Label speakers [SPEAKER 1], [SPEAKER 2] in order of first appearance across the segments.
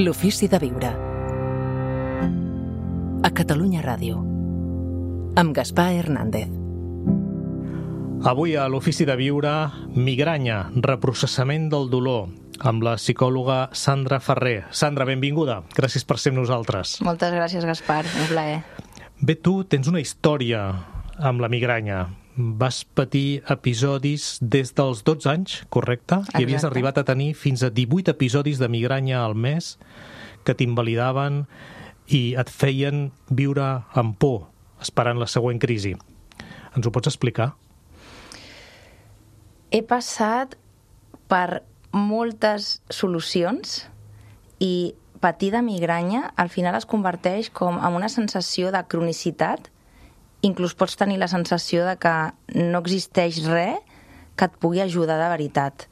[SPEAKER 1] L'ofici de viure. A Catalunya Ràdio. Amb Gaspar Hernández.
[SPEAKER 2] Avui a l'ofici de viure, migranya, reprocessament del dolor, amb la psicòloga Sandra Ferrer. Sandra, benvinguda. Gràcies per ser amb nosaltres.
[SPEAKER 3] Moltes gràcies, Gaspar. Un plaer.
[SPEAKER 2] Bé, tu tens una història amb la migranya. Vas patir episodis des dels 12 anys, correcte?
[SPEAKER 3] Exacte.
[SPEAKER 2] I havies arribat a tenir fins a 18 episodis de migranya al mes que t'invalidaven i et feien viure amb por, esperant la següent crisi. Ens ho pots explicar?
[SPEAKER 3] He passat per moltes solucions i patir de migranya al final es converteix com en una sensació de cronicitat. Inclús pots tenir la sensació de que no existeix res que et pugui ajudar de veritat.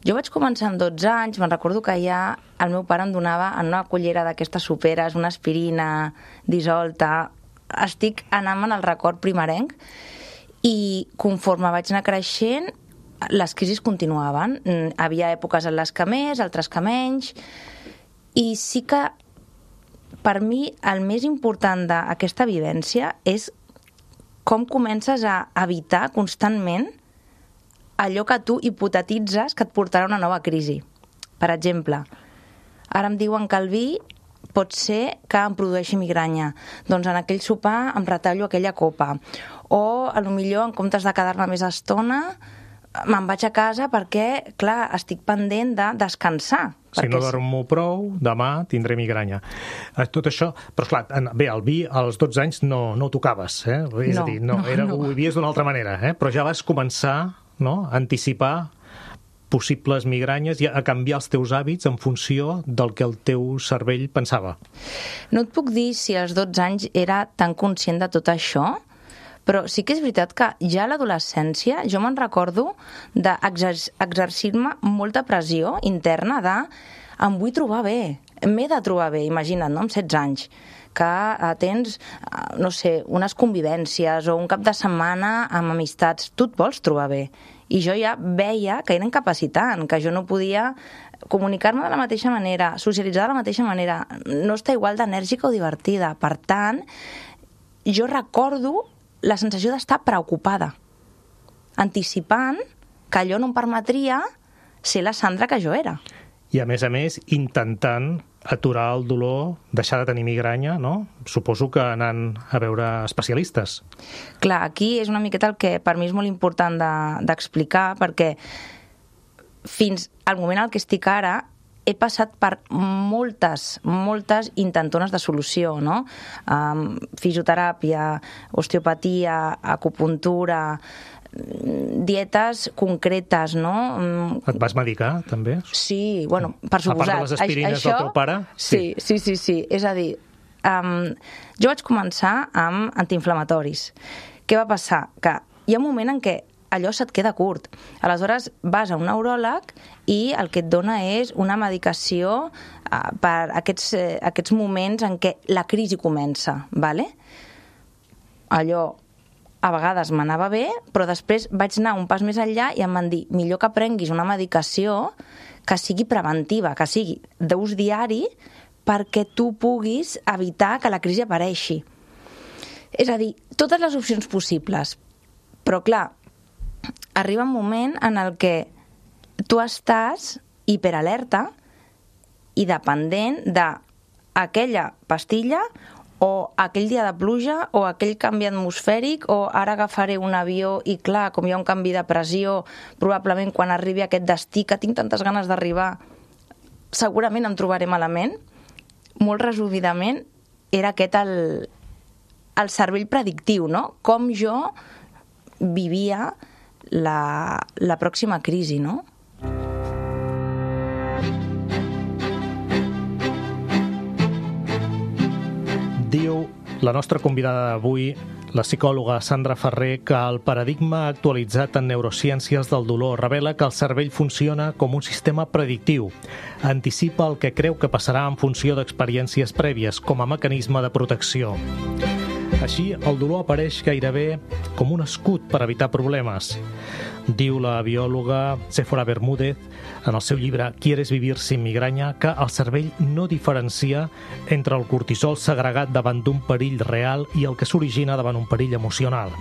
[SPEAKER 3] Jo vaig començar amb 12 anys, me'n recordo que ja el meu pare em donava en una cullera d'aquestes soperes una aspirina dissolta. Estic anant en el record primerenc i conforme vaig anar creixent les crisis continuaven. Havia èpoques en les que més, altres que menys, i sí que per mi el més important d'aquesta vivència és com comences a evitar constantment allò que tu hipotetitzes que et portarà una nova crisi. Per exemple, ara em diuen que el vi pot ser que em produeixi migranya. Doncs en aquell sopar em retallo aquella copa. O, potser, en comptes de quedar-me més estona, me'n vaig a casa perquè, clar, estic pendent de descansar.
[SPEAKER 2] Si no dormo prou, demà tindré migranya. Tot això... Però, esclar, bé, el vi als 12 anys no ho tocaves, eh? És a dir, ho vivies d'una altra manera, eh? Però ja vas començar, no?, a anticipar possibles migranyes i a canviar els teus hàbits en funció del que el teu cervell pensava.
[SPEAKER 3] No et puc dir si als 12 anys era tan conscient de tot això, però sí que és veritat que ja a l'adolescència jo me'n recordo d'exercir-me molta pressió interna de em vull trobar bé, m'he de trobar bé, imagina't, no?, amb 16 anys, que tens, no sé, unes convivències o un cap de setmana amb amistats, tu et vols trobar bé. I jo ja veia que era incapacitant, que jo no podia comunicar-me de la mateixa manera, socialitzar de la mateixa manera, no estar igual d'enèrgica o divertida. Per tant, jo recordo la sensació d'estar preocupada, anticipant que allò no em permetria ser la Sandra que jo era.
[SPEAKER 2] I a més, intentant aturar el dolor, deixar de tenir migranya, no? Suposo que anant a veure especialistes.
[SPEAKER 3] Clar, aquí és una miqueta el que per mi és molt important d'explicar, perquè fins al moment al que estic ara he passat per moltes intentones de solució, no? Fisioteràpia, osteopatia, acupuntura, dietes concretes, no?
[SPEAKER 2] Et vas medicar, també?
[SPEAKER 3] Sí, bueno, per suposat.
[SPEAKER 2] A part de les aspirines del teu pare?
[SPEAKER 3] Sí. És a dir, jo vaig començar amb antiinflamatoris. Què va passar? Que hi ha un moment en què allò se't queda curt. Aleshores vas a un neuròleg i el que et dona és una medicació per aquests moments en què la crisi comença, ¿vale? Allò a vegades m'anava bé, però després vaig anar un pas més enllà i em van dir millor que prenguis una medicació que sigui preventiva, que sigui d'ús diari perquè tu puguis evitar que la crisi apareixi. És a dir, totes les opcions possibles. Però clar, arriba un moment en el que tu estàs hiperalerta i dependent d'aquella pastilla o aquell dia de pluja o aquell canvi atmosfèric o ara agafaré un avió i clar, com hi ha un canvi de pressió, probablement quan arribi a aquest destí que tinc tantes ganes d'arribar, segurament em trobaré malament. Molt resumidament, era aquest el cervell predictiu, no? Com jo vivia la pròxima crisi, no?
[SPEAKER 2] Diu la nostra convidada d'avui, la psicòloga Sandra Ferrer, que el paradigma actualitzat en neurociències del dolor revela que el cervell funciona com un sistema predictiu. Anticipa el que creu que passarà en funció d'experiències prèvies, com a mecanisme de protecció. Així, el dolor apareix gairebé com un escut per evitar problemes. Diu la biòloga Séfora Bermúdez en el seu llibre ¿Quieres vivir sin migraña? Que el cervell no diferencia entre el cortisol segregat davant d'un perill real i el que s'origina davant un perill emocional.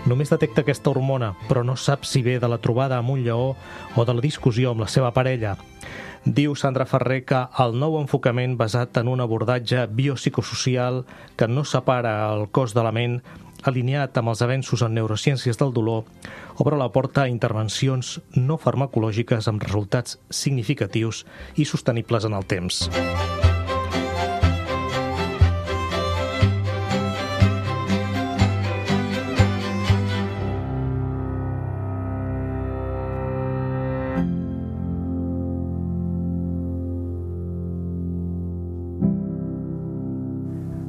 [SPEAKER 2] Només detecta aquesta hormona, però no sap si ve de la trobada amb un lleó o de la discussió amb la seva parella. Diu Sandra Ferrer que el nou enfocament basat en un abordatge biopsicosocial que no separa el cos de la ment, alineat amb els avenços en neurociències del dolor, obre la porta a intervencions no farmacològiques amb resultats significatius i sostenibles en el temps.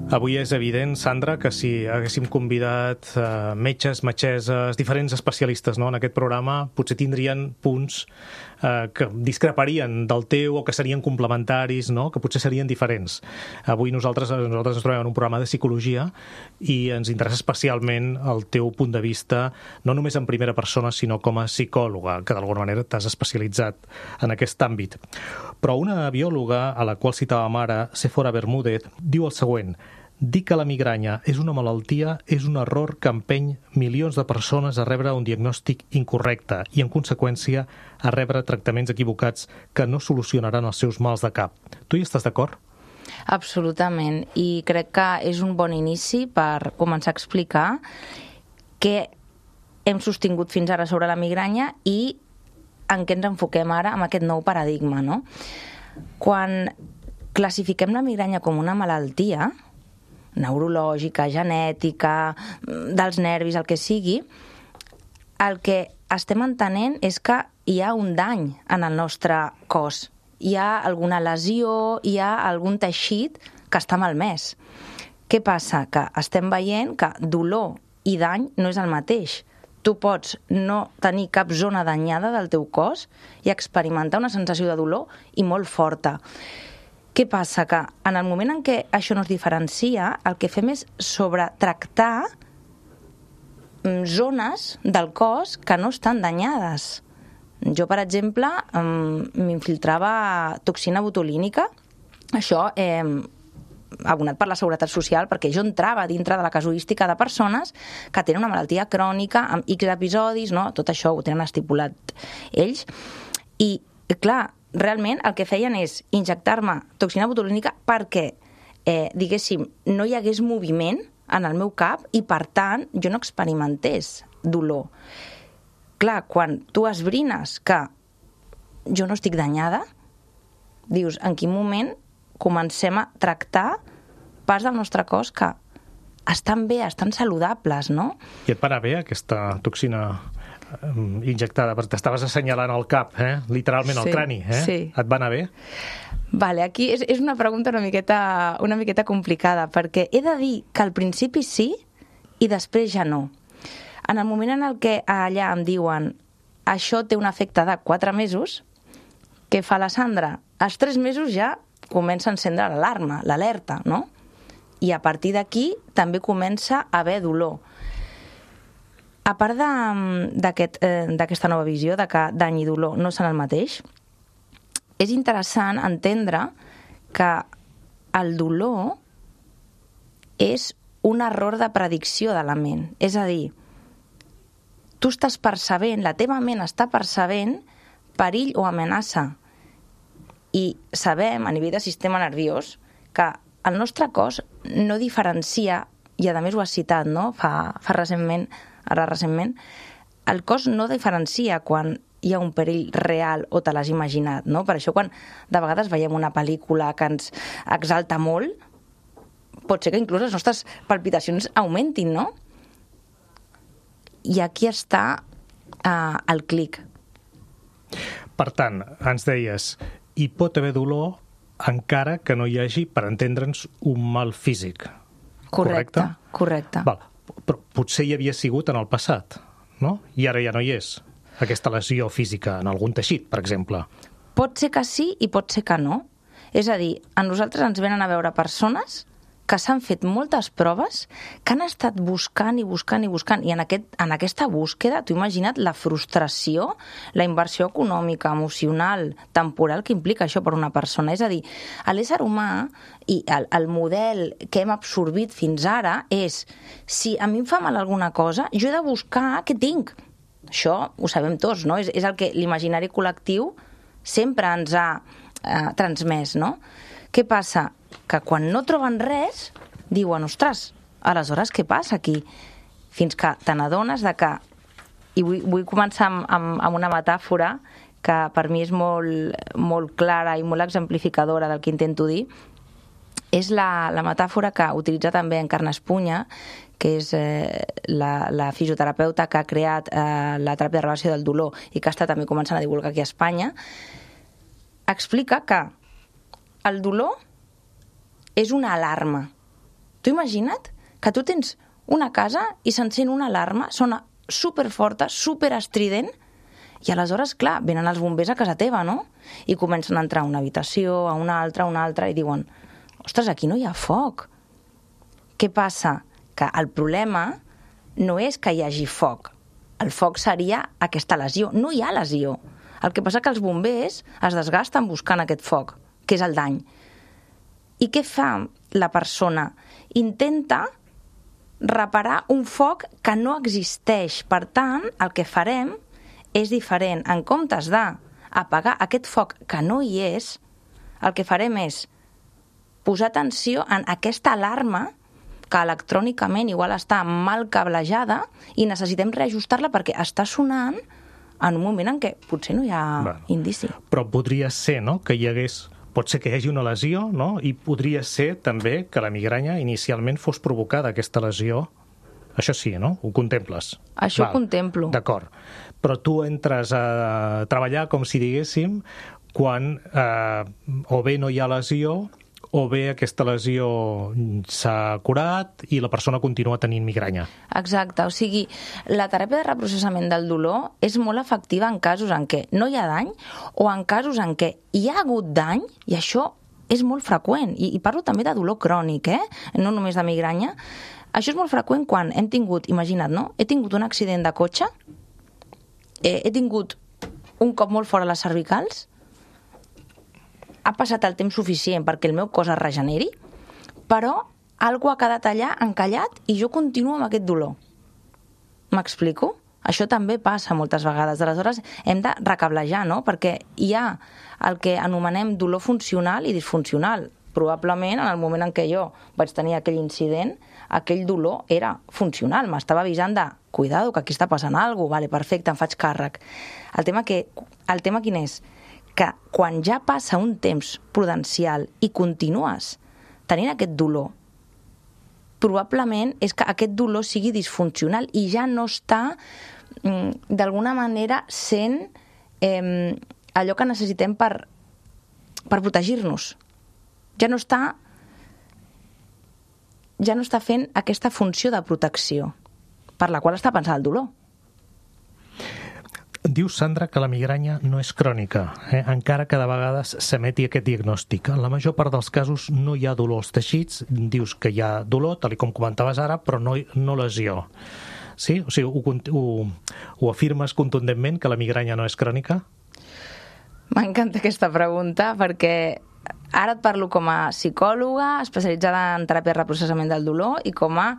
[SPEAKER 2] Avui és evident, Sandra, que si haguéssim convidat metges, metgesses, diferents especialistes en aquest programa, potser tindrien punts que discreparien del teu o que serien complementaris, que potser serien diferents. Avui nosaltres ens trobem en un programa de psicologia i ens interessa especialment el teu punt de vista, no només en primera persona, sinó com a psicòloga, que d'alguna manera t'has especialitzat en aquest àmbit. Però una biòloga, a la qual citàvem ara, Séfora Bermúdez, diu el següent: dir que la migranya és una malaltia és un error que empeny milions de persones a rebre un diagnòstic incorrecte i, en conseqüència, a rebre tractaments equivocats que no solucionaran els seus mals de cap. Tu hi estàs d'acord?
[SPEAKER 3] Absolutament, i crec que és un bon inici per començar a explicar què hem sostingut fins ara sobre la migranya i en què ens enfoquem ara amb aquest nou paradigma, no? Quan classifiquem la migranya com una malaltia neurològica, genètica, dels nervis, el que sigui, el que estem entenent és que hi ha un dany en el nostre cos. Hi ha alguna lesió, hi ha algun teixit que està malmès. Què passa? Que estem veient que dolor i dany no és el mateix. Tu pots no tenir cap zona danyada del teu cos i experimentar una sensació de dolor i molt forta. Què passa? Que en el moment en què això no es diferencia, el que fem és sobretractar zones del cos que no estan danyades. Jo, per exemple, m'infiltrava toxina botulínica. Això abonat per la Seguretat Social, perquè jo entrava dintre de la casuística de persones que tenen una malaltia crònica amb X episodis, no? Tot això ho tenen estipulat ells. I, clar, realment el que feien és injectar-me toxina botulínica perquè, diguéssim, no hi hagués moviment en el meu cap i, per tant, jo no experimentés dolor. Clar, quan tu esbrines que jo no estic danyada, dius, en quin moment comencem a tractar parts del nostre cos que estan bé, estan saludables, no?
[SPEAKER 2] I et para bé aquesta toxina injectada, perquè t'estaves assenyalant el cap, literalment el crani,
[SPEAKER 3] Sí.
[SPEAKER 2] Et va anar bé?
[SPEAKER 3] Vale, aquí és una pregunta una miqueta complicada, perquè he de dir que al principi sí i després ja no. En el moment en el que allà em diuen això té un efecte de 4 mesos, què fa la Sandra? Als 3 mesos ja comença a encendre l'alarma, l'alerta, no? I a partir d'aquí també comença a haver dolor. A part d'aquesta nova visió de que dany i dolor no són el mateix, és interessant entendre que el dolor és un error de predicció de la ment. És a dir, tu estàs percebent, la teva ment està percebent perill o amenaça. I sabem, a nivell de sistema nerviós, que el nostre cos no diferencia, i a més ho has citat, no? Fa recentment, el cos no diferencia quan hi ha un perill real o te l'has imaginat, no? Per això quan de vegades veiem una pel·lícula que ens exalta molt, pot ser que inclús les nostres palpitacions augmentin, no? I aquí està el clic.
[SPEAKER 2] Per tant, ens deies, hi pot haver dolor encara que no hi hagi, per entendre'ns, un mal físic.
[SPEAKER 3] Correcte.
[SPEAKER 2] Val. Però potser hi havia sigut en el passat, no? I ara ja no hi és, aquesta lesió física en algun teixit, per exemple.
[SPEAKER 3] Pot ser que sí i pot ser que no. És a dir, a nosaltres ens venen a veure persones que s'han fet moltes proves, que han estat buscant i buscant i buscant, i en aquesta búsqueda, t'ho imagina't la frustració, la inversió econòmica, emocional, temporal que implica això per una persona. És a dir, l'ésser humà i el model que hem absorbit fins ara és, si a mi em fa mal alguna cosa, jo he de buscar què tinc. Això ho sabem tots, no? És el que l'imaginari col·lectiu sempre ens ha transmès, no? Què passa? Que quan no troben res, diuen, ostres, aleshores què passa aquí? Fins que te n'adones de que, i vull començar amb una metàfora que per mi és molt clara i molt exemplificadora del que intento dir, és la metàfora que utilitza també Encarna Espunya, que és la fisioterapeuta que ha creat la teràpia de reversió del dolor i que està també començant a divulgar aquí a Espanya. Explica que el dolor és una alarma. Tu imagina't que tu tens una casa i s'encén una alarma, sona superforta, superestrident, i aleshores, clar, venen els bombers a casa teva, no? I comencen a entrar a una habitació, a una altra, i diuen, ostres, aquí no hi ha foc. Què passa? Que el problema no és que hi hagi foc. El foc seria aquesta lesió. No hi ha lesió. El que passa que els bombers es desgasten buscant aquest foc, que és el dany. I què fa la persona? Intenta reparar un foc que no existeix. Per tant, el que farem és diferent. En comptes d'apagar aquest foc que no hi és, el que farem és posar atenció en aquesta alarma que electrònicament igual està mal cablejada i necessitem reajustar-la perquè està sonant en un moment en què potser no hi ha indici.
[SPEAKER 2] Però podria ser, no?, que hi hagués... Pot ser que hi hagi una lesió, no? I podria ser també que la migranya inicialment fos provocada, aquesta lesió. Això sí, no? Ho contemples.
[SPEAKER 3] Això ho contemplo.
[SPEAKER 2] D'acord. Però tu entres a treballar, com si diguéssim, quan o bé no hi ha lesió o bé aquesta lesió s'ha curat i la persona continua tenint migranya.
[SPEAKER 3] Exacte, o sigui, la teràpia de reprocessament del dolor és molt efectiva en casos en què no hi ha dany o en casos en què hi ha hagut dany, i això és molt freqüent, i parlo també de dolor crònic, no només de migranya. Això és molt freqüent quan hem tingut, imagina't, no? He tingut un accident de cotxe, he tingut un cop molt fort a les cervicals, ha passat el temps suficient perquè el meu cos es regeneri, però algú ha quedat allà encallat i jo continuo amb aquest dolor. M'explico? Això també passa moltes vegades. Aleshores, hem de recablejar, no? Perquè hi ha el que anomenem dolor funcional i disfuncional. Probablement, en el moment en què jo vaig tenir aquell incident, aquell dolor era funcional. M'estava avisant de, cuidado, que aquí està passant alguna cosa, vale, perfecte, em faig càrrec. El tema quin és? Que quan ja passa un temps prudencial i continues tenint aquest dolor, probablement és que aquest dolor sigui disfuncional i ja no està, d'alguna manera, sent allò que necessitem per protegir-nos. Ja no està fent aquesta funció de protecció per la qual està pensant el dolor.
[SPEAKER 2] Dius, Sandra, que la migranya no és crònica, encara que de vegades s'emeti aquest diagnòstic. En la major part dels casos no hi ha dolor als teixits, dius que hi ha dolor, tal com comentaves ara, però no lesió. Sí? O sigui, ho afirmes contundentment, que la migranya no és crònica?
[SPEAKER 3] M'encanta aquesta pregunta, perquè ara et parlo com a psicòloga especialitzada en teràpia de reprocessament del dolor i com a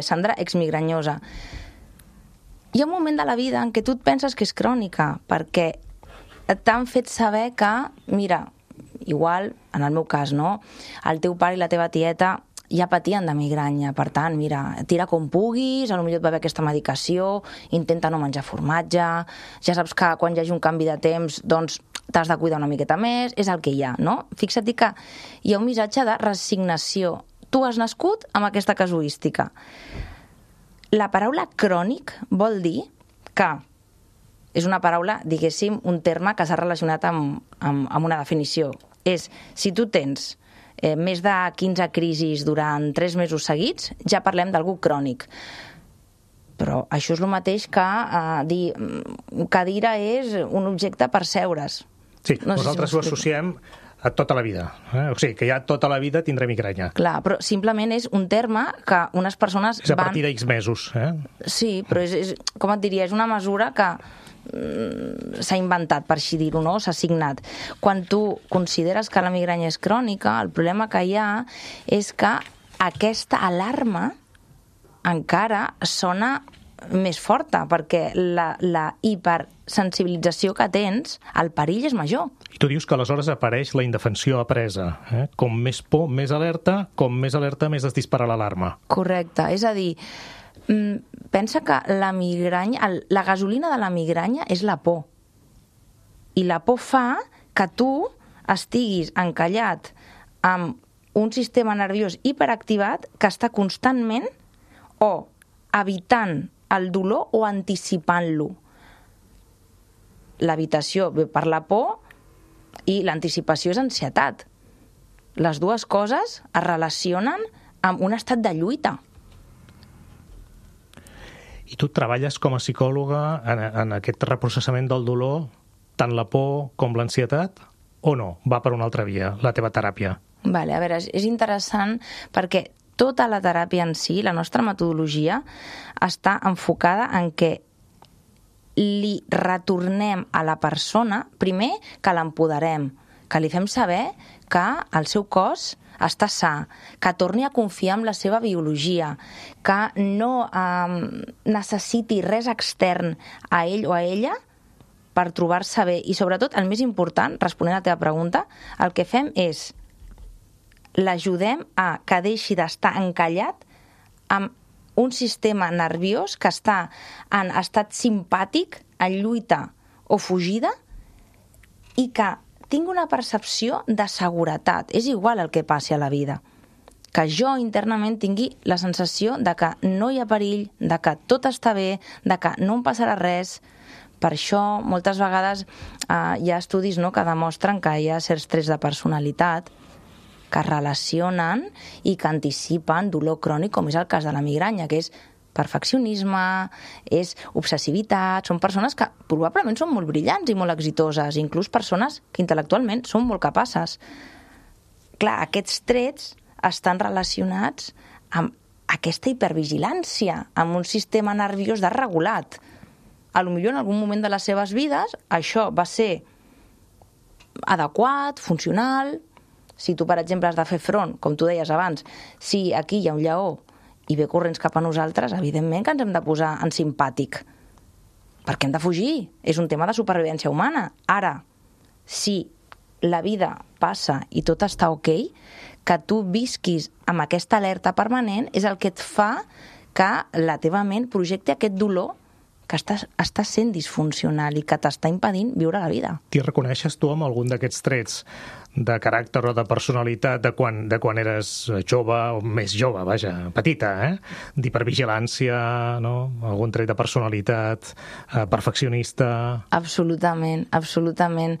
[SPEAKER 3] Sandra exmigranyosa. Hi ha un moment de la vida en què tu et penses que és crònica, perquè t'han fet saber que, mira, igual, en el meu cas, no? El teu pare i la teva tieta ja patien de migranya, per tant, mira, tira com puguis, potser et va haver aquesta medicació, intenta no menjar formatge, ja saps que quan hi hagi un canvi de temps, doncs t'has de cuidar una miqueta més, és el que hi ha, no? Fixa't que hi ha un missatge de resignació. Tu has nascut amb aquesta casuística. La paraula crònic vol dir que és una paraula, diguéssim, un terme que s'ha relacionat amb una definició. És, si tu tens més de 15 crisis durant 3 mesos seguits, ja parlem d'algú crònic. Però això és el mateix que dir cadira és un objecte per seure's.
[SPEAKER 2] Sí, nosaltres ho associem a tota la vida. O sigui, que ja tota la vida tindré migranya.
[SPEAKER 3] Clar, però simplement és un terme que unes persones
[SPEAKER 2] És a partir d'X mesos.
[SPEAKER 3] Sí, però és, com et diria, és una mesura que s'ha inventat, per així dir-ho, no? S'ha assignat. Quan tu consideres que la migranya és crònica, el problema que hi ha és que aquesta alarma encara sona més forta, perquè la hipersensibilització que tens, el perill és major.
[SPEAKER 2] I tu dius que aleshores apareix la indefensió apresa. Com més por, més alerta, més es dispara l'alarma.
[SPEAKER 3] Correcte, és a dir, pensa que la migranya, la gasolina de la migranya és la por. I la por fa que tu estiguis encallat amb un sistema nerviós hiperactivat que està constantment o evitant el dolor o anticipant-lo. L'evitació ve per la por i l'anticipació és ansietat. Les dues coses es relacionen amb un estat de lluita.
[SPEAKER 2] I tu treballes com a psicòloga en aquest reprocessament del dolor, tant la por com l'ansietat, o no? Va per una altra via, la teva teràpia?
[SPEAKER 3] Vale, a veure, és interessant perquè tota la teràpia en si, la nostra metodologia, està enfocada en que li retornem a la persona, primer, que l'empoderem, que li fem saber que el seu cos està sa, que torni a confiar en la seva biologia, que no necessiti res extern a ell o a ella per trobar-se bé. I sobretot, el més important, responent a la teva pregunta, el que fem és l'ajudem a que deixi d'estar encallat amb un sistema nerviós que està en estat simpàtic, en lluita o fugida, i que tingui una percepció de seguretat. És igual el que passi a la vida. Que jo internament tingui la sensació de que no hi ha perill, de que tot està bé, de que no em passarà res. Per això, moltes vegades hi ha estudis, no, que demostren que hi ha certs trets de personalitat que relacionen i que anticipen dolor crònic, com és el cas de la migranya, que és perfeccionisme, és obsessivitat, són persones que probablement són molt brillants i molt exitoses, inclús persones que intel·lectualment són molt capaces. Clar, aquests trets estan relacionats amb aquesta hipervigilància, amb un sistema nerviós desregulat. Potser en algun moment de les seves vides això va ser adequat, funcional. Si tu, per exemple, has de fer front, com tu deies abans, si aquí hi ha un lleó i ve corrents cap a nosaltres, evidentment que ens hem de posar en simpàtic, perquè hem de fugir. És un tema de supervivència humana. Ara, si la vida passa i tot està ok, que tu visquis amb aquesta alerta permanent és el que et fa que la teva ment projecti aquest dolor que està sent disfuncional i que t'està impedint viure la vida.
[SPEAKER 2] T'hi reconeixes tu amb algun d'aquests trets de caràcter o de personalitat de quan eres jove, o més jove, vaja, petita, d'hipervigilància, no? Algun tret de personalitat, perfeccionista...
[SPEAKER 3] Absolutament, absolutament.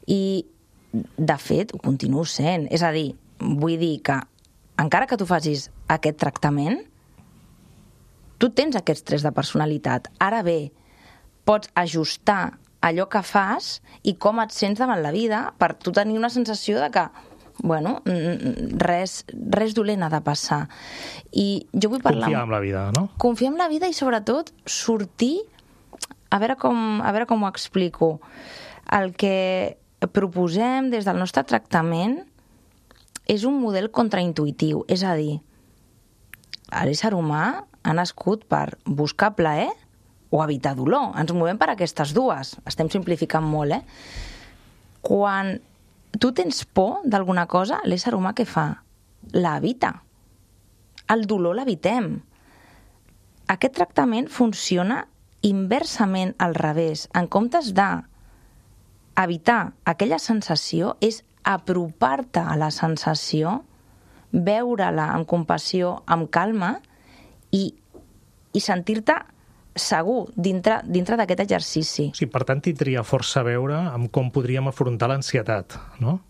[SPEAKER 3] I, de fet, ho continuo sent. És a dir, vull dir que encara que tu facis aquest tractament, tu tens aquests trets de personalitat. Ara bé, pots ajustar allò que fas i com et sents davant la vida per tu tenir una sensació de que, bueno, res dolent ha de passar. I jo vull parlar...
[SPEAKER 2] Confiar en la vida, no?
[SPEAKER 3] Confiar en la vida i, sobretot, sortir... A veure com ho explico. El que proposem des del nostre tractament és un model contraintuitiu. És a dir, l'ésser humà ha nascut per buscar plaer o evitar dolor. Ens movem per aquestes dues. Estem simplificant molt, Quan tu tens por d'alguna cosa, l'ésser humà què fa? L'evita. El dolor l'evitem. Aquest tractament funciona inversament al revés. En comptes d'evitar aquella sensació, és apropar-te a la sensació, veure-la amb compassió, amb calma, i sentir-te segur dintre d'aquest exercici.
[SPEAKER 2] Sí, per tant, tindria força a veure amb com podríem afrontar l'ansietat, no?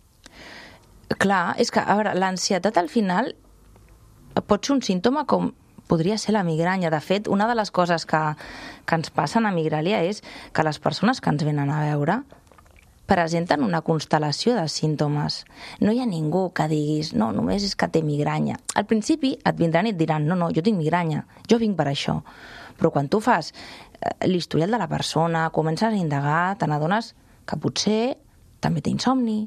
[SPEAKER 3] Clar, és que, a veure, l'ansietat al final pot ser un símptoma com podria ser la migranya. De fet, una de les coses que ens passen a Migralia és que les persones que ens venen a veure presenten una constel·lació de símptomes. No hi ha ningú que diguis, no, només és que té migranya. Al principi et vindran i et diran, no, jo tinc migranya, jo vinc per això. Però quan tu fas l'historial de la persona, comences a indagar, te n'adones que potser també té insomni,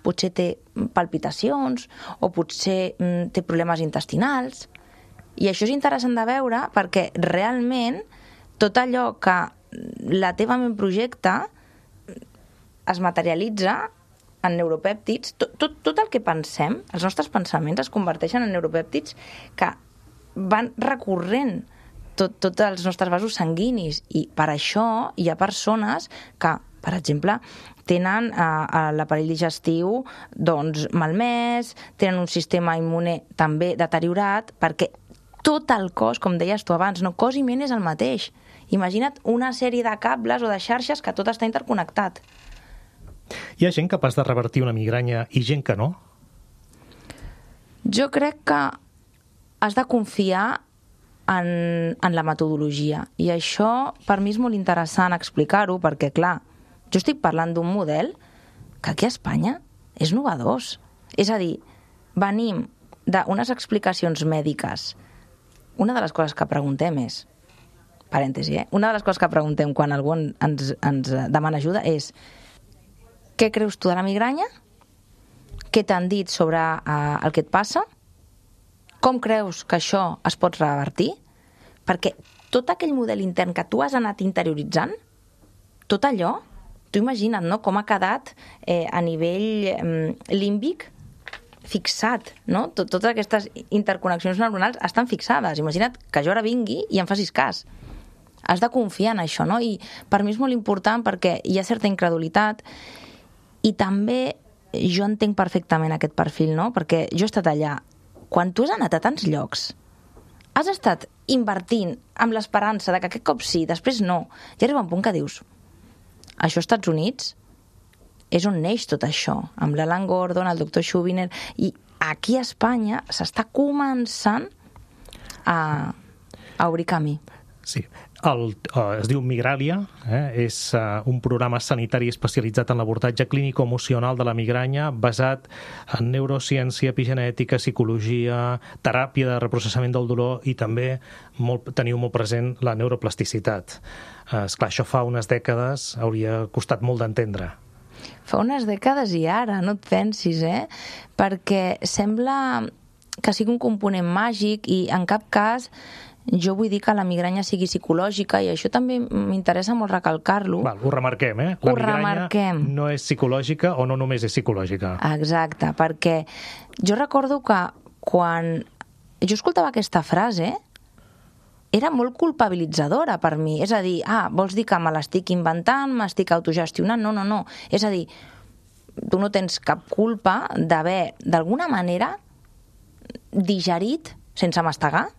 [SPEAKER 3] potser té palpitacions o potser té problemes intestinals. I això és interessant de veure perquè realment tot allò que la teva ment projecta es materialitza en neuropèptids. Tot el que pensem, els nostres pensaments es converteixen en neuropèptids que van recorrent tots els nostres vasos sanguinis, i per això hi ha persones que, per exemple, tenen l'aparell digestiu doncs, malmès, tenen un sistema immune també deteriorat, perquè tot el cos, com deies tu abans, no, cos i ment és el mateix. Imagina't una sèrie de cables o de xarxes que tot està interconnectat.
[SPEAKER 2] Hi ha gent capaç de revertir una migranya i gent que no?
[SPEAKER 3] Jo crec que has de confiar en la metodologia, i això per mi és molt interessant explicar-ho, perquè clar, jo estic parlant d'un model que aquí a Espanya és novedós. És a dir, venim d'unes explicacions mèdiques. Una de les coses que preguntem és, parèntesi, una de les coses que preguntem quan algú ens demana ajuda és: què creus tu de la migranya? Què t'han dit sobre el que et passa? Com creus que això es pot revertir? Perquè tot aquell model intern que tu has anat interioritzant, tot allò, tu imagina't, no?, com ha quedat a nivell límbic fixat, no? Totes aquestes interconnexions neuronals estan fixades. Imagina't que jo ara vingui i em facis cas. Has de confiar en això, no? I per mi és molt important perquè hi ha certa incredulitat, i també jo entenc perfectament aquest perfil, no? Perquè jo he estat allà. Quan tu has anat a tants llocs, has estat invertint amb l'esperança de que aquest cop sí, després no, i arriba un punt que dius, això als Estats Units és on neix tot això, amb l'Alan Gordon, el doctor Schubiner, i aquí a Espanya s'està començant a obrir camí.
[SPEAKER 2] Sí. Es diu Migràlia, és un programa sanitari especialitzat en l'abordatge clínico-emocional de la migranya, basat en neurociència, epigenètica, psicologia, teràpia de reprocessament del dolor, i també teniu molt present la neuroplasticitat. Esclar, això fa unes dècades hauria costat molt d'entendre.
[SPEAKER 3] Fa unes dècades i ara, no et pensis, perquè sembla que sigui un component màgic, i en cap cas jo vull dir que la migranya sigui psicològica, i això també m'interessa molt recalcar-lo.
[SPEAKER 2] Ho remarquem, La migranya no és psicològica, o no només és psicològica.
[SPEAKER 3] Exacte, perquè jo recordo que quan jo escoltava aquesta frase era molt culpabilitzadora per mi. És a dir, vols dir que me l'estic inventant, m'estic autogestionant? No. És a dir, tu no tens cap culpa d'haver, d'alguna manera, digerit, sense mastegar,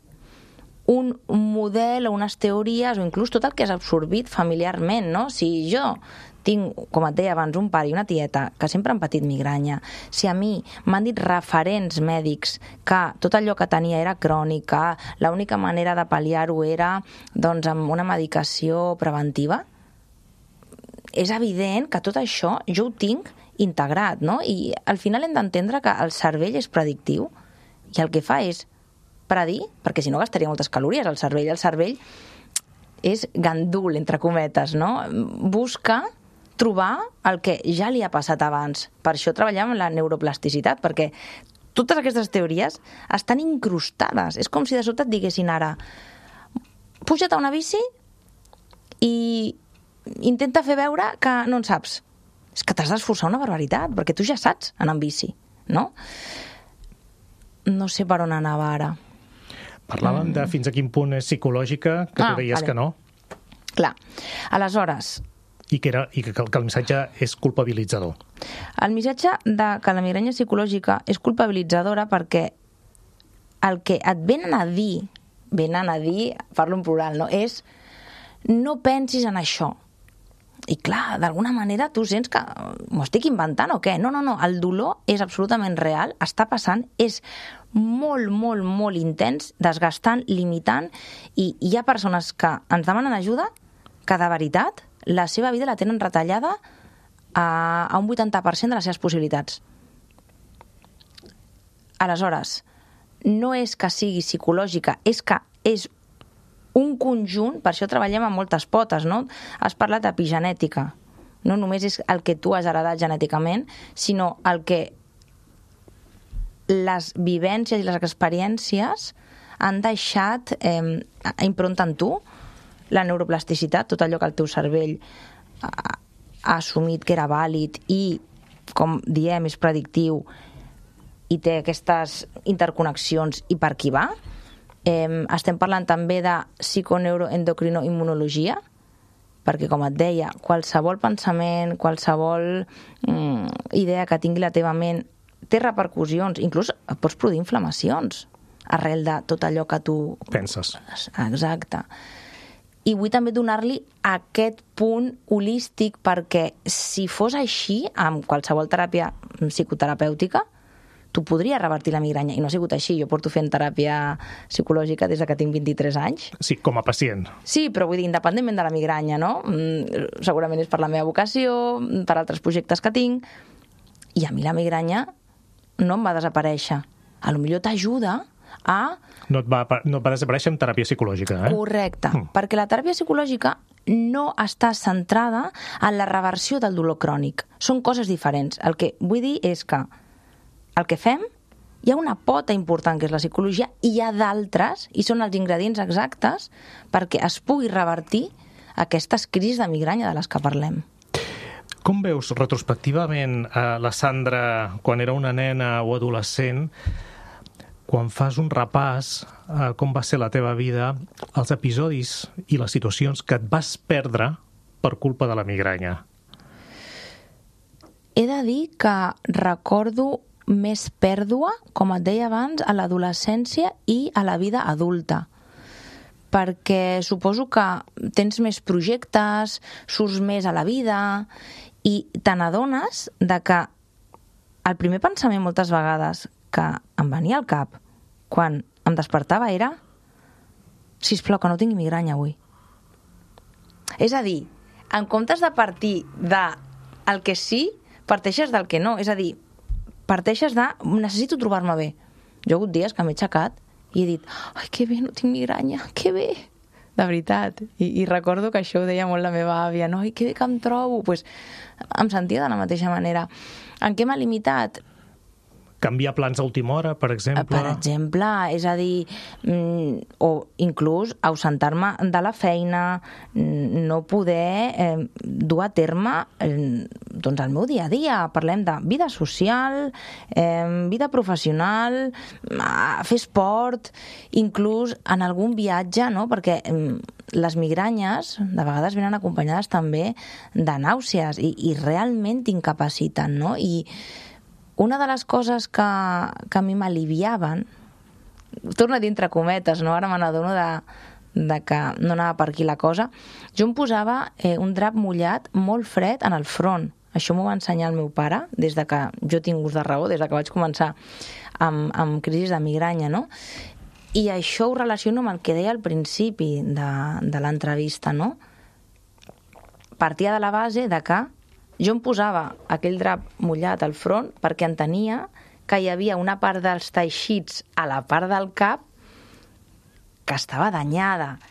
[SPEAKER 3] un model o unes teories, o inclús tot el que has absorbit familiarment, no? Si jo tinc, com et deia abans, un pare i una tieta que sempre han patit migranya, si a mi m'han dit referents mèdics que tot allò que tenia era crònica, l'única manera de pal·liar-ho era doncs amb una medicació preventiva, és evident que tot això jo ho tinc integrat, no? I al final hem d'entendre que el cervell és predictiu, i el que fa és predir, perquè si no gastaria moltes calories el cervell. El cervell és gandul, entre cometes, no? Busca trobar el que ja li ha passat abans. Per això treballem en la neuroplasticitat, perquè totes aquestes teories estan incrustades. És com si de sobte et diguessin ara: puja't a una bici i intenta fer veure que no en saps. És que t'has d'esforçar una barbaritat, perquè tu ja saps anar en bici, no? No sé per on anava ara.
[SPEAKER 2] Parlàvem de fins a quin punt és psicològica, que tu deies que no.
[SPEAKER 3] Clar. Aleshores...
[SPEAKER 2] I que el missatge és culpabilitzador.
[SPEAKER 3] El missatge de que la migranya psicològica és culpabilitzadora perquè el que et venen a dir, parlo en plural, no? És no pensis en això. I clar, d'alguna manera tu sents que m'ho estic inventant o què? No, el dolor és absolutament real, està passant, és molt, molt, molt intens, desgastant, limitant, i hi ha persones que ens demanen ajuda que de veritat la seva vida la tenen retallada a un 80% de les seves possibilitats. Aleshores, no és que sigui psicològica, és que és un conjunt, per això treballem amb moltes potes, no? Has parlat d'epigenètica. No només és el que tu has heredat genèticament, sinó el que les vivències i les experiències han deixat impronta en tu, la neuroplasticitat, tot allò que el teu cervell ha assumit que era vàlid i, com diem, és predictiu i té aquestes interconnexions i per qui va. Estem parlant també de psiconeuroendocrinoimmunologia, perquè, com et deia, qualsevol pensament, qualsevol idea que tingui la teva ment té repercussions, inclús pots produir inflamacions arrel de tot allò que tu
[SPEAKER 2] penses.
[SPEAKER 3] Exacte. I vull també donar-li aquest punt holístic, perquè si fos així, amb qualsevol teràpia psicoterapèutica, tu podries revertir la migranya, i no ha sigut així. Jo porto fent teràpia psicològica des que tinc 23 anys.
[SPEAKER 2] Sí, com a pacient.
[SPEAKER 3] Sí, però vull dir, independentment de la migranya, no? Segurament és per la meva vocació, per altres projectes que tinc, i a mi la migranya no em va desaparèixer. A lo millor t'ajuda a...
[SPEAKER 2] No et va desaparèixer amb teràpia psicològica, eh?
[SPEAKER 3] Correcte, perquè la teràpia psicològica no està centrada en la reversió del dolor crònic. Són coses diferents. El que vull dir és que el que fem, hi ha una pota important que és la psicologia, i hi ha d'altres, i són els ingredients exactes perquè es pugui revertir aquestes crisis de migranya de les que parlem.
[SPEAKER 2] Com veus retrospectivament la Sandra quan era una nena o adolescent, quan fas un repàs com va ser la teva vida, els episodis i les situacions que et vas perdre per culpa de la migranya?
[SPEAKER 3] He de dir que recordo més pèrdua, com et deia abans, a l'adolescència i a la vida adulta. Perquè suposo que tens més projectes, surts més a la vida i te n'adones de que el primer pensament moltes vegades que em venia al cap quan em despertava era: sisplau, que no tingui migranya avui. És a dir, en comptes de partir del que sí, parteixes del que no. És a dir, parteixes de necessito trobar-me bé. Jo he hagut dies que m'he aixecat i he dit: ai, que bé, no tinc migranya, que bé. De veritat. I recordo que això ho deia molt la meva àvia, no? Ai, que bé que em trobo. Pues, em sentia de la mateixa manera. En què m'ha limitat?
[SPEAKER 2] Canviar plans a última hora, per exemple?
[SPEAKER 3] Per exemple, és a dir, o inclús ausentar-me de la feina, no poder dur a terme doncs el meu dia a dia. Parlem de vida social, vida professional, fer esport, inclús en algun viatge, no? Perquè les migranyes de vegades venen acompanyades també de nàusees i realment t'incapaciten, no? I una de les coses que a mi m'aliviaven, torno a dir entre cometes, no? Ara me n'adono de que no anava per aquí la cosa, jo em posava un drap mullat molt fred en el front. Això m'ho va ensenyar el meu pare des de que jo tinc ús de raó, des de que vaig començar amb crisis de migranya, no? I això ho relaciono amb el que deia al principi de l'entrevista, no? Partia de la base de que jo em posava aquell drap mullat al front perquè entenia que hi havia una part dels teixits a la part del cap que estava danyada.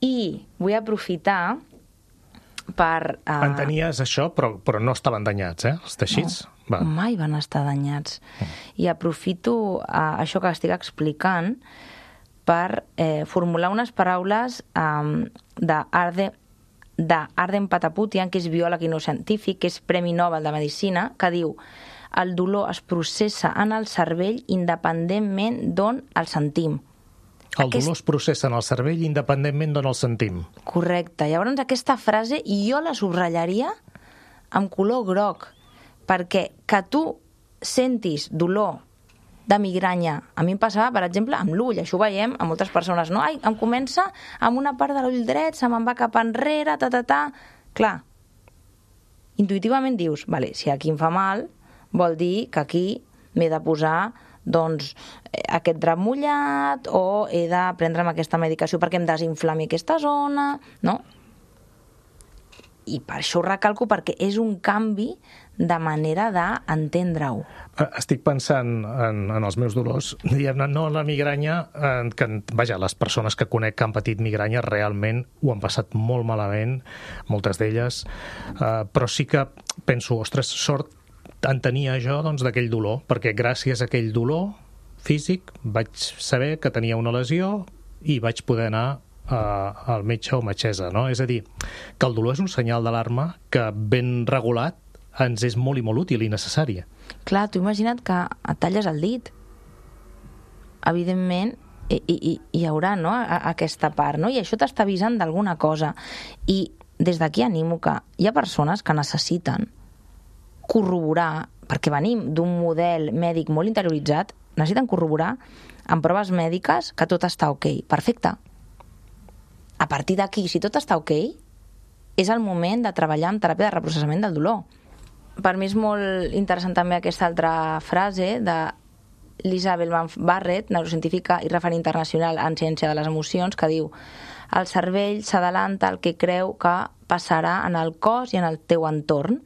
[SPEAKER 3] I vull aprofitar per...
[SPEAKER 2] Entenies això, però no estaven danyats, els teixits?
[SPEAKER 3] No, mai van estar danyats. I aprofito això que estic explicant per formular unes paraules d'Arden Pataputian, que és biòleg i no científic, que és Premi Nobel de Medicina, que diu: el dolor es processa en el cervell independentment d'on el sentim.
[SPEAKER 2] El dolor es processa en el cervell independentment d'on el sentim.
[SPEAKER 3] Correcte. Llavors aquesta frase jo la subratllaria amb color groc, perquè que tu sentis dolor de migranya. A mi em passava, per exemple, amb l'ull. Això ho veiem a moltes persones, no? Ai, em comença amb una part de l'ull dret, se me'n va cap enrere, Clar, intuïtivament dius, vale, si aquí em fa mal, vol dir que aquí m'he de posar doncs aquest drap mullat o he de prendre'm aquesta medicació perquè em desinflami aquesta zona, no? I per això ho recalco, perquè és un canvi de manera d'entendre-ho.
[SPEAKER 2] Estic pensant en els meus dolors, diguem-ne, no en la migranya, que, vaja, les persones que conec que han patit migranya realment ho han passat molt malament, moltes d'elles, però sí que penso, ostres, sort en tenia jo doncs, d'aquell dolor, perquè gràcies a aquell dolor físic vaig saber que tenia una lesió i vaig poder anar al metge o metgessa, no? És a dir, que el dolor és un senyal d'alarma que ben regulat ens és molt i molt útil i necessari.
[SPEAKER 3] Clar, tu imagina't que et talles el dit. Evidentment, hi haurà, no?, aquesta part, no? I això t'està avisant d'alguna cosa. I des d'aquí animo que hi ha persones que necessiten corroborar, perquè venim d'un model mèdic molt interioritzat, necessiten corroborar amb proves mèdiques que tot està ok. Perfecte. A partir d'aquí, si tot està ok, és el moment de treballar amb teràpia de reprocessament del dolor. Per mi és molt interessant també aquesta altra frase de Lisa Bellman-Barrett, neurocientífica i referent internacional en ciència de les emocions, que diu: el cervell s'adalanta al que creu que passarà en el cos i en el teu entorn.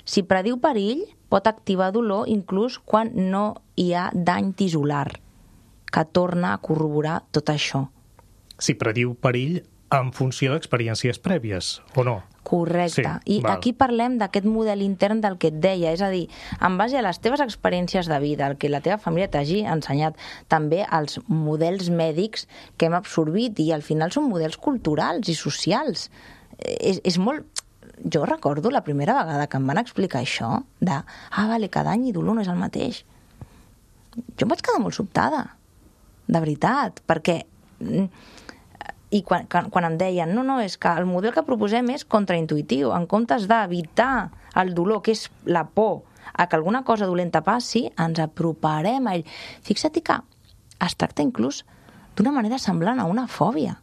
[SPEAKER 3] Si prediu perill, pot activar dolor inclús quan no hi ha dany tisular, que torna a corroborar tot això.
[SPEAKER 2] Si prediu perill en funció d'experiències prèvies, o no?
[SPEAKER 3] Correcte. Sí, I val. Aquí parlem d'aquest model intern del que et deia, és a dir, en base a les teves experiències de vida, el que la teva família t'hagi ensenyat, també els models mèdics que hem absorbit, i al final són models culturals i socials. És molt... Jo recordo la primera vegada que em van explicar això, vale, que dany i dolor no és el mateix. Jo em vaig quedar molt sobtada, de veritat, perquè... I quan em deien, no, és que el model que proposem és contraintuitiu, en comptes d'evitar el dolor, que és la por a que alguna cosa dolenta passi, ens aproparem a ell. Fixa't que es tracta inclús d'una manera semblant a una fòbia.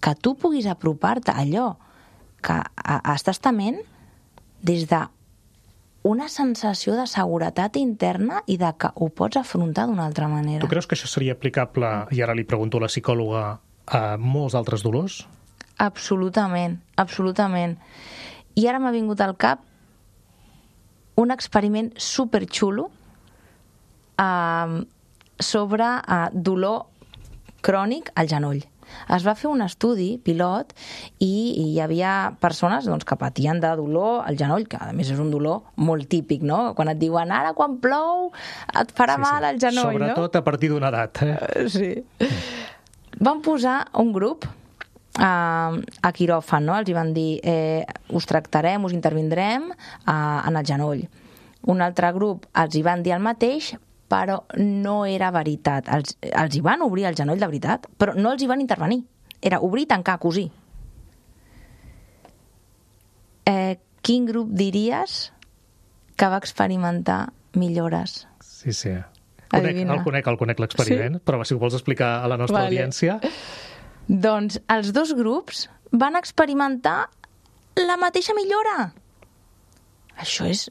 [SPEAKER 3] Que tu puguis apropar-te a allò que estàs tement des d'una sensació de seguretat interna i de que ho pots afrontar d'una altra manera.
[SPEAKER 2] Tu creus que això seria aplicable, i ara li pregunto a la psicòloga, a molts altres dolors?
[SPEAKER 3] Absolutament, absolutament. I ara m'ha vingut al cap un experiment superxulo sobre dolor crònic al genoll. Es va fer un estudi pilot i hi havia persones doncs, que patien de dolor al genoll, que a més és un dolor molt típic, no? Quan et diuen ara quan plou et farà mal al genoll,
[SPEAKER 2] sobretot, no? Sobretot a partir d'una edat.
[SPEAKER 3] Sí. Van posar un grup a quiròfan, no? Els hi van dir us tractarem, us intervindrem en el genoll. Un altre grup els hi van dir el mateix, però no era veritat. Els hi van obrir el genoll de veritat, però no els hi van intervenir. Era obrir, tancar, cosir. Quin grup diries que va experimentar millores?
[SPEAKER 2] Sí. El conec l'experiment, sí? Però si ho vols explicar a la nostra audiència...
[SPEAKER 3] Doncs els dos grups van experimentar la mateixa millora. Això és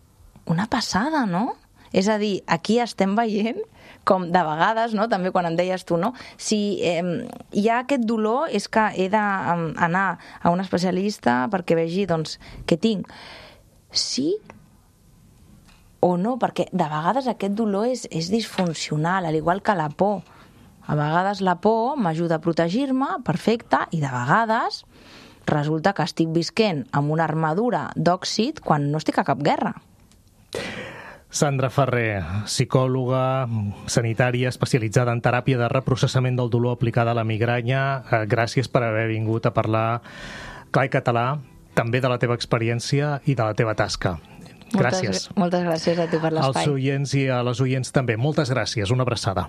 [SPEAKER 3] una passada, no? És a dir, aquí estem veient com de vegades, no? També quan em deies tu, no? Si hi ha aquest dolor és que he d'anar a un especialista perquè vegi doncs, què tinc. Sí o no, perquè de vegades aquest dolor és disfuncional, al igual que la por. A vegades la por m'ajuda a protegir-me, perfecte, i de vegades resulta que estic visquent amb una armadura d'òxid quan no estic a cap guerra.
[SPEAKER 2] Sandra Ferrer, psicòloga sanitària especialitzada en teràpia de reprocessament del dolor aplicada a la migranya. Gràcies per haver vingut a parlar clar i català, també de la teva experiència i de la teva tasca. Gràcies.
[SPEAKER 3] Moltes gràcies a tu per l'espai.
[SPEAKER 2] Als oients i a les oients també. Moltes gràcies. Una abraçada.